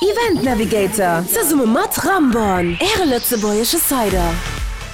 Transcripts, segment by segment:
Event Navigator zesumme mat Ramborn, Äre lëtzebuergesche Cider.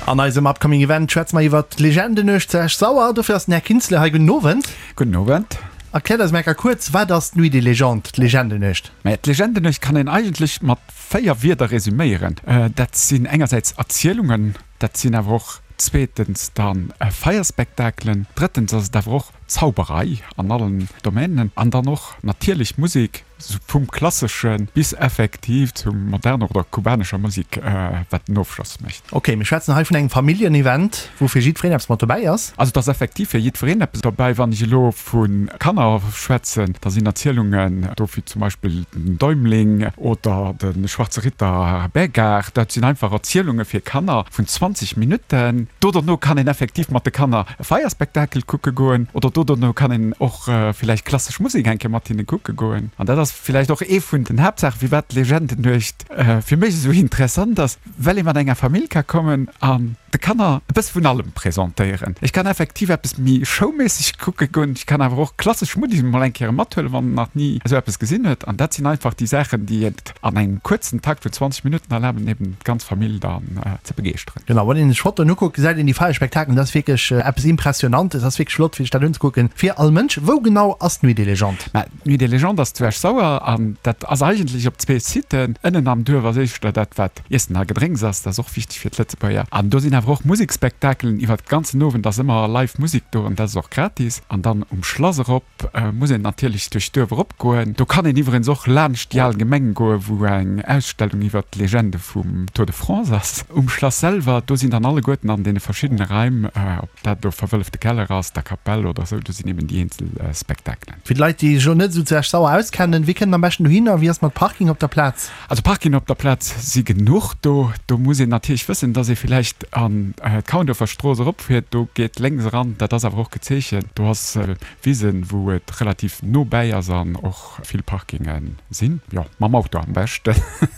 An eisem Upcoming Event schwätze mer iwwert d'Legendenuecht zu Esch-Sauer. Dofir ass den Här Kinzle hei. Gudden Owend. Gudden Owend. Erkläert eis mol kuerz, wat ass d'Nuit des Légendes, d'Legendenuecht? Maja, d'Legendenuecht kann een eigentlech mat 4 Wierder resüméieren. Dat sinn engersäits Erzielungen, dat sinn awer och zweetens dann Feierspektakelen, drëttens ass et awer och Zauberei an allen Domänen an dann och natierlech Musek, vum klassesche bis effektiv zum moderner oder kubanescher Musek, wat den Ofschloss mécht. Ok, mir schwätzen hei vun engem Familljen-Event, wou fir jiddwereen eppes mat dobäi ass. Also et ass effektiv fir jiddwereen eppes dobäi. Wann ech elo vu Kanner schwätzen, da sinn Erzielungen do wéi zum Beispill den Däumling oder de Schwarze Ritter Bägar. Dat sinn einfach Erzielunge fir Kanner vun 20 Minutten. Do derno kann een effektiv mat de Kanner e Feierspektakel kucke goen oder do derno kann een och villäicht klassesch Musek eng Kéier mat hinne kucke goen. An dat ass villäicht och ee vun den Haaptsaachen, firwat d'Legendennuecht fir mech esou interessant ass, well ee mat enger Famill ka kommen an de Kanner e bësse vun allem presentéieren. Ech kann effektiv eppes méi showméisseg kucke goen, ech kann awer och klassesch Musek mol eng Kéier mathuelen, wann en nach ni esou eppes gesinn huet. An dat sinn einfach déi Saachen, déi et an engem kuerzen Takt vun 20 Minutten erlaben, eben d'ganz Famill dann ze begeeschteren. Genau, wann een sech Fotoen ukuckt, gesäit een déi Feierspektakeln, dat ass wierklech eppes Impressionantes, ass wierklech flott fir sech dat unzekucken, fir all Mënsch. Wou genau ass d'Nuit des Légendes? Mä d'Nuit des Légendes ass zu Esch-Sauer an dat ass eigentlech op zwee Siten. Ënnen am Duerf ass éischter dat, wat Iessen a Gedrénks ass, dat ass och wichteg fir d'Lëtzebuerger. An do sinn awer och Musekspektakelen iwwert de ganzen Owend, ass ëmmer live Musek do an dat ass och gratis. An dann um Schlass erop muss een natierlech duerch d'Duerf eropgoen. Do kann een iwwerens och laanscht déi al Gemeng goen, wou eng Ausstellung iwwert d'Legende vum Tour de France ass. Um Schlass selwer, do sinn dann alleguerten an deene verschiddene Raim, ob dat elo verwëllefte Keller ass, der Kapell oder esou, do sinn eben déi eenzel Spektakelen. Fir d'Leit, déi sech elo net esou zu Esch-Sauer auskennen, Wéi kënnt een am beschten dohinner? Wéi ass mat Parking op der Plaz? Also Parkingen op der Plaz si genuch do. Do muss een natierlech wëssen, dass ee villäicht an d'Kaundorfer Strooss eropfiert. Do geet lénks eran, dat ass awer och gezeechent. Do ass Wisen, wou et relativ no bäi ass an och vill Parkinge sinn. Jo, mam Auto am beschten.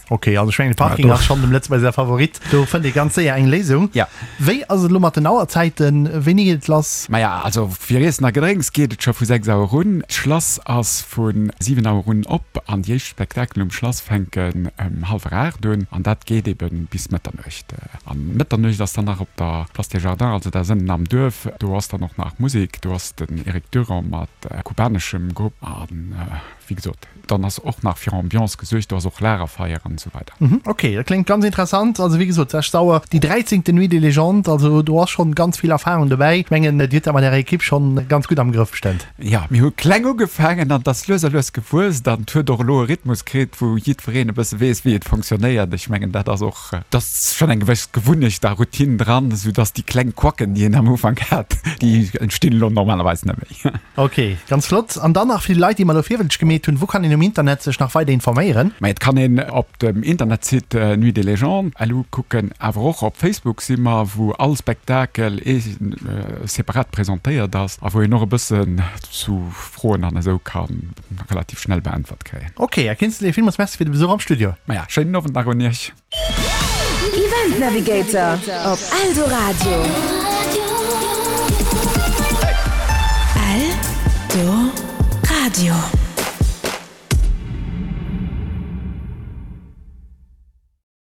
Ok, also ech mengen de Parking ass schonn dem Lëtzebuerger säi Favorit. Do fënnt ee ganz séier eng Léisung. Ja. Wéi ass et elo mat den Auerzäiten? Wéini geet et lass? Maja, also fir Iessen a Gedrénks geet et scho vu 6 Auer un. D'Schlass ass vu 7 Auer un op an déi éischt Spektakelen um Schlass fänken ëm hallwer 8 un an dat geet ebe bis Mëtternuecht. An Mëtternuecht ass dann nach op der Place des Jardins, also dat ass ënnen am Duerf, do ass dann och nach Musek, do ass den Eric Durand mat kubaneschem Grupp an wéi gesot, dann ass och nach fir Ambiance gesuergt, do ass och Lagerfeier an esou weider. Ok, dat kléngt ganz interessant. Also wéi gesot, 6 Auer, déi dräizéngte Nuit des Légendes, also do ass schonn ganz vill Erfahrung dobäi. Ech mengen, Dir hutt dat mat Ärer Ekipp schonn ganz gutt am Grëff bestëmmt. Jo, mir hu kleng ugefaangen an et ass lues a lues gewuess an et huet och elo e Rhythmus kritt, wou jiddwereen e bësse weess, wéi et fonctionnéiert. Ech mengen, dat ass och, et ass schonn eng gewëss Gewunnecht a Routine dran, soudass déi kleng Quacken, déi een am Ufank hat, déi entstinn elo normalerweis net méi. Ok, ganz flott. An dann nach fir déi Leit, déi mer elo virwëlzeg gemeet hunn, wou kann een um Internet sech nach weider informéieren? Mä et kann een op dem Internetsite Nuit des Légendes lu kucken, awer och op Facebook si mer, wou all Spektakel separat presentéiert ass a wou een och e bëssen zu Froen an esou ka relativ schnell beäntwert kréien. Ok, Här Kinzele, villmools Merci fir de Besuch am Studio. Maja, schéinen Owend nach un Iech. Event Navigator op Eldoradio. Eldoradio.